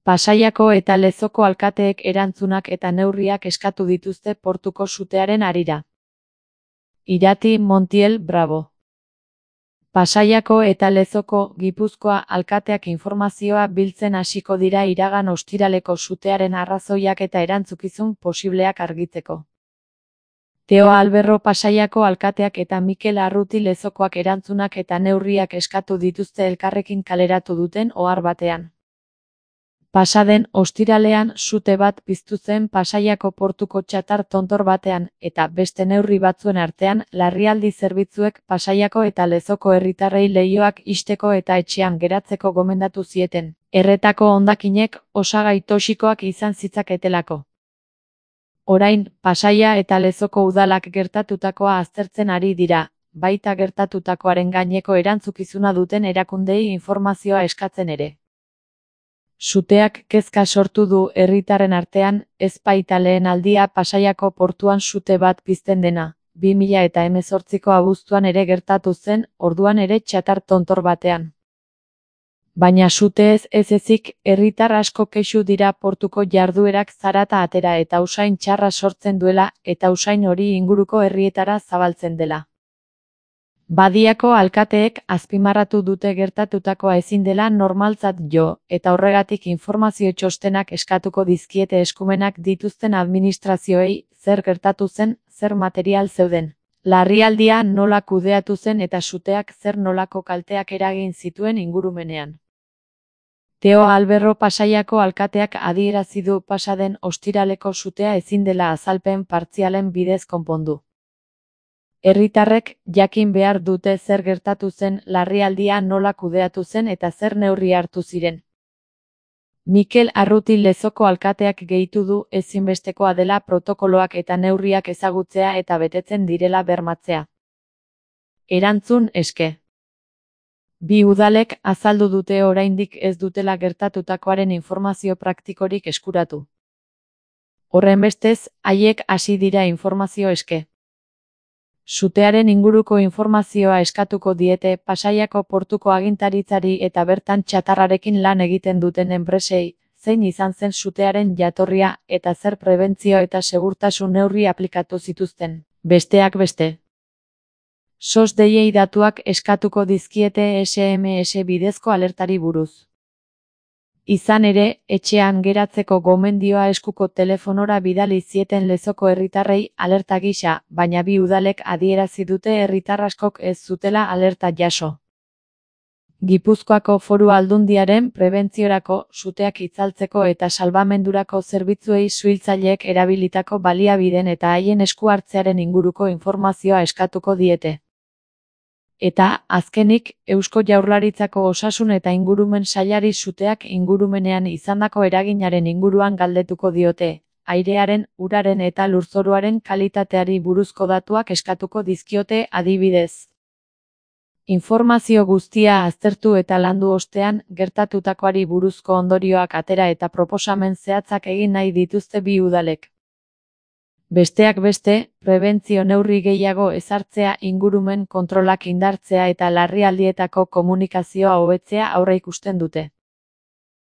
Pasaiako eta Lezoko alkateek erantzunak eta neurriak eskatu dituzte portuko sutearen harira. Irati Montiel Bravo. Pasaiako eta Lezoko, Gipuzkoa alkateak informazioa biltzen hasiko dira iragan ostiraleko sutearen arrazoiak eta erantzukizun posibleak argitzeko. Teo Alberro Pasaiako alkateak eta Mikel Arruti Lezokoak erantzunak eta neurriak eskatu dituzte elkarrekin kaleratu duten ohar batean. Pasaden ostiralean sute bat piztu zen Pasaiako portuko txatar tontor batean, eta beste neurri batzuen artean, larrialdi zerbitzuek Pasaiako eta Lezoko herritarrei leihoak ixteko eta etxean geratzeko gomendatu zieten, erretako hondakinek osagai toxikoak izan zitzaketelako. Orain, Pasaia eta Lezoko udalak gertatutakoa aztertzen ari dira, baita gertatutakoaren gaineko erantzukizuna duten erakundei informazioa eskatzen ere. Suteak kezka sortu du herritarren artean, ez baita lehen aldia Pasaiako portuan sute bat pizten dena, 2018ko abuztuan ere gertatu zen, orduan ere txatar tontor batean. Baina sute ez ezik, herritar asko kexu dira portuko jarduerak zarata atera eta usain txarra sortzen duela, eta usain hori inguruko herrietara zabaltzen dela. Badiako alkateek azpimarratu dute gertatutakoa ezin dela normaltzat jo, eta horregatik informazio txostenak eskatuko dizkiete eskumenak dituzten administrazioei, zer gertatu zen, zer material zeuden, larrialdia nola kudeatu zen eta suteak zer nolako kalteak eragin zituen ingurumenean. Teo Alberro Pasaiako alkateak adierazi du pasaden ostiraleko sutea ezin dela azalpen partzialen bidez konpondu. Herritarrek jakin behar dute zer gertatu zen, larrialdia nola kudeatu zen eta zer neurri hartu ziren. Mikel Arruti Lezoko alkateak gehitu du ezinbestekoa dela protokoloak eta neurriak ezagutzea eta betetzen direla bermatzea. Erantzun eske. Bi udalek azaldu dute oraindik ez dutela gertatutakoaren informazio praktikorik eskuratu. Horrenbestez, haiek hasi dira informazio eske. Sutearen inguruko informazioa eskatuko diete Pasaiako portuko agintaritzari eta bertan txatarrarekin lan egiten duten enpresei, zein izan zen sutearen jatorria eta zer prebentzio eta segurtasun neurri aplikatu zituzten, besteak beste. SOS deiei datuak eskatuko dizkiete SMS bidezko alertari buruz. Izan ere, etxean geratzeko gomendioa eskuko telefonora bidali zieten Lezoko herritarrei alerta gisa, baina bi udalek adierazi dute herritar askok ez zutela alerta jaso. Gipuzkoako Foru Aldundiaren prebentziorako, suteak itzaltzeko eta salbamendurako zerbitzuei suhiltzaileek erabilitako baliabideen eta haien esku hartzearen inguruko informazioa eskatuko diete. Eta, azkenik, Eusko Jaurlaritzako Osasun eta Ingurumen Sailari suteak ingurumenean izandako eraginaren inguruan galdetuko diote, airearen, uraren eta lurzoruaren kalitateari buruzko datuak eskatuko dizkiote adibidez. Informazio guztia aztertu eta landu ostean, gertatutakoari buruzko ondorioak atera eta proposamen zehatzak egin nahi dituzte bi udalek. Besteak beste, prebentzio neurri gehiago ezartzea, ingurumen kontrolak indartzea eta larrialdietako komunikazioa hobetzea aurreikusten dute.